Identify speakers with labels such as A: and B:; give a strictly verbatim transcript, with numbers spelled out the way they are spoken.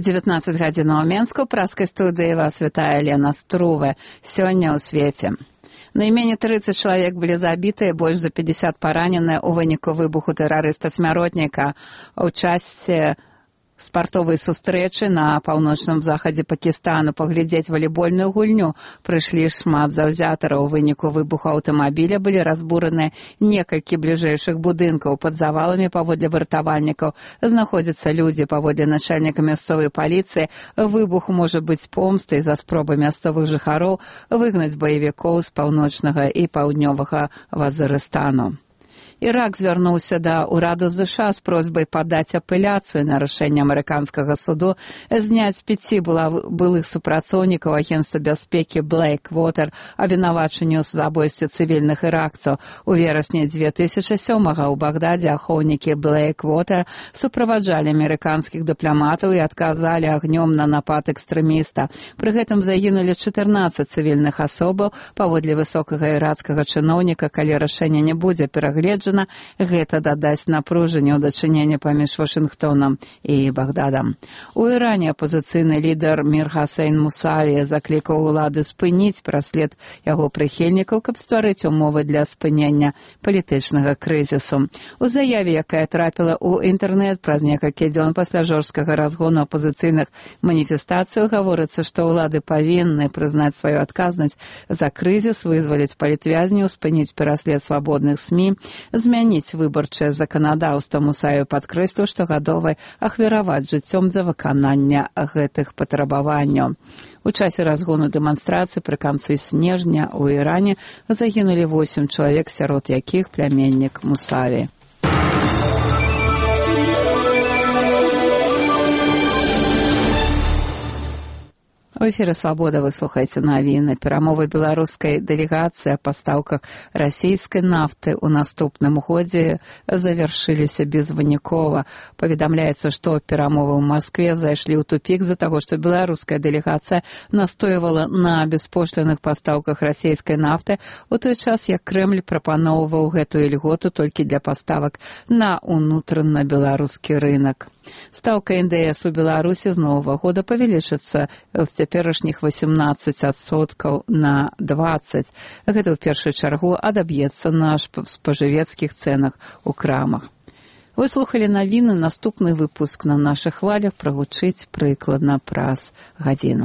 A: дзевятнаццаць гадзінаў у Менску, праскай студыі вас вітае Лена Струве. Сёння ў свеце. Найменей трыццаць чалавек былі забітыя, больш за пятьдесят параненыя ў выніку выбуху тэрарыста-смяротніка ў часе спартовай сустрэчы на паўночным захадзе Пакістану. Паглядзець валейбольную гульню прыйшлі шмат заўзятараў. У выніку выбуху аўтамабіля былі разбураныя некалькі бліжэйшых будынкаў. Пад заваламі, паводле выратавальнікаў, знаходзяцца людзі. Паводле начальніка мясцовай паліцыі, выбух можа быць помстай за спробы мясцовых жыхароў выгнаць баевікоў з паўночнага і паўднёвага Вазырыстану. Ірак звярнуўся да ўраду ЗША з просьбай падаць апеляцыю на рашэнне амерыканскага суду зняць пяці былых супрацоўнікаў агенцтва бяспекі Blackwater абвінавачанню ў забойстве цывільных іракцаў. У верасні дзве тысячы сёмага ў Багдадзе ахоўнікі Blackwater суправаджалі амерыканскіх дыпламатаў і адказалі агнём на напад экстрэміста. Пры гэтым загінулі чатырнаццаць цывільных асобаў. Паводле высокага ірацкага чыноўніка, калі рашэнне не будзе перагледжана, гэта дадасць напружанне ў дачыненні паміж Вашынгтонам і Багдадам. У Іране апазіцыйны лідар Мір Хасейн Мусаві заклікаў улады спыніць праслед яго прыхільнікаў, каб стварыць умовы для спынення палітычнага крызісу. У заяве, якая трапіла ў інтэрнэт праз некалькі дзён пасля жорсткага разгону апазіцыйных маніфестацый, гаворыцца, што ўлады павінны прызнаць сваю адказнасць за крызіс, вызваліць палітвязняў, спыніць пераслед свабодных СМІ, змяніць выбарчае заканадаўства. Мусаеў падкрэсліў, што гатовы ахвяраваць жыццём за выкананне гэтых патрабаванняў. У часе разгону дэманстрацыі пры канцы снежня ў Іране загінулі восем чалавек, сярод якіх пляменнік Мусаві. У эфіры «Свабода» вы слухаеце навіны. Перамовы беларускай дэлегацыі о пастаўках расійскай нафты ў наступным годзе завяршыліся безвынікова. Паведамляецца, што перамовы ў Маскве зайшлі ў тупік з-за таго, што беларуская дэлегацыя настойвала на беспошліных пастаўках расійскай нафты, у той час як Крэмль прапаноўваў гэтую льготу толькі для паставак на ўнутраны беларускі рынок. Стаўка эн дэ эс у Беларусі з новага года павялічыцца в цяперашніх восемнадцаць адсоткаў на дваццаць. Гэта ў першую чаргу адаб'ецца на спажывецкіх цэнах у крамах. Вы слухалі навіны. Наступны выпуск на нашых хвалях прагучыць прыкладна праз гадзіну.